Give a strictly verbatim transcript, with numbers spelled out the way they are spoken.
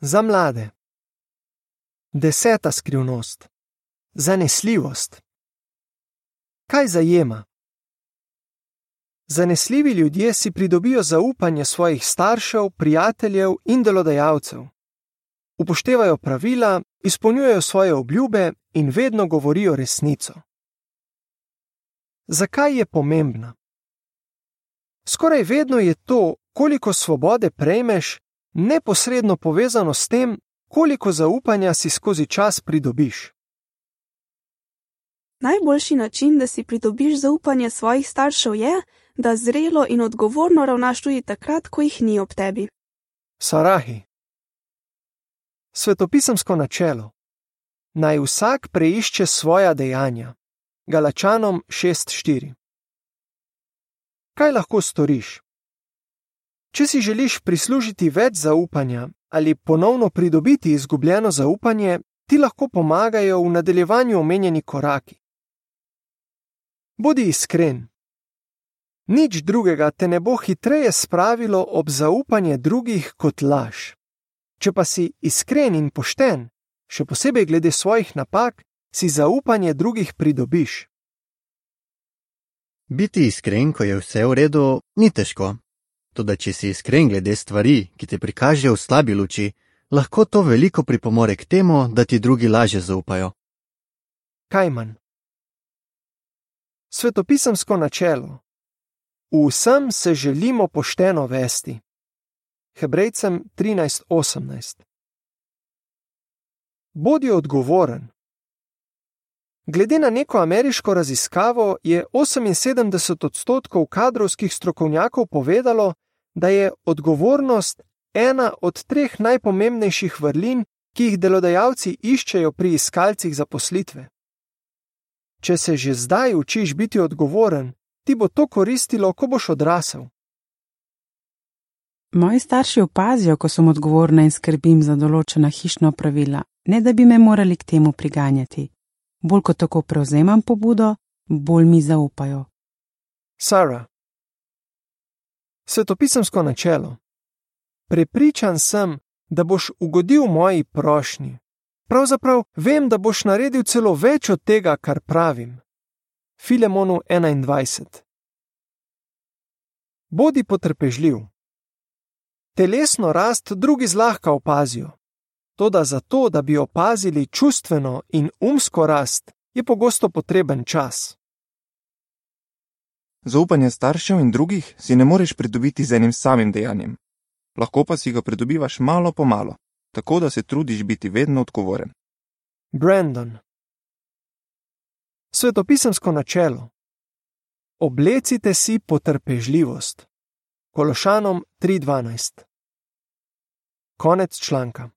Za mlade. Deseta skrivnost. Zanesljivost. Kaj zajema? Zanesljivi ljudje si pridobijo zaupanje svojih staršev, prijateljev in delodajalcev. Upoštevajo pravila, izpolnjujejo svoje obljube in vedno govorijo resnico. Zakaj je pomembna? Skoraj vedno je to, koliko svobode prejmeš, neposredno povezano s tem, koliko zaupanja si skozi čas pridobiš. Najboljši način, da si pridobiš zaupanje svojih staršev je, da zrelo in odgovorno ravnaš tudi takrat, ko jih ni ob tebi. Sarahi. Svetopisemsko načelo. Naj vsak preišče svoja dejanja. Galačanom šest štiri. Kaj lahko storiš? Če si želiš prislužiti več zaupanja ali ponovno pridobiti izgubljeno zaupanje, ti lahko pomagajo v nadaljevanju omenjeni koraki. Bodi iskren. Nič drugega te ne bo hitreje spravilo ob zaupanje drugih kot laž. Če pa si iskren in pošten, še posebej glede svojih napak, si zaupanje drugih pridobiš. Biti iskren, ko je vse v redu, ni težko. Toda če si iskren glede stvari, ki te prikažejo v slabi luči, lahko to veliko pripomore k temu, da ti drugi lažje zaupajo. Kajman. Svetopisemsko načelo. V vsem se želimo pošteno vesti. Hebrejcem trinajst osemnajst. Bodi odgovoren. Glede na neko ameriško raziskavo je oseminsedemdeset odstotkov kadrovskih strokovnjakov povedalo, da je odgovornost ena od treh najpomembnejših vrlin, ki jih delodajalci iščejo pri iskalcih zaposlitve. Če se že zdaj učiš biti odgovoren, ti bo to koristilo, ko boš odrasel. Moji starši opazijo, ko sem odgovorna in skrbim za določena hišna opravila, ne da bi me morali k temu priganjati. Bolj ko tako prevzemam pobudo, bolj mi zaupajo. Sara. Svetopisemsko načelo. Prepričan sem, da boš ugodil moji prošnji. Pravzaprav vem, da boš naredil celo več od tega, kar pravim. Filemonu enaindvajset. Bodi potrpežljiv. Telesno rast drugi zlahka opazijo. Toda za to, da bi opazili čustveno in umsko rast, je pogosto potreben čas. Zaupanje staršev in drugih si ne moreš pridobiti z enim samim dejanjem. Lahko pa si ga pridobivaš malo po malo, tako da se trudiš biti vedno odgovoren. Brandon. Svetopisemsko načelo. Oblecite si potrpežljivost. Kološanom tri dvanajst. Konec članka.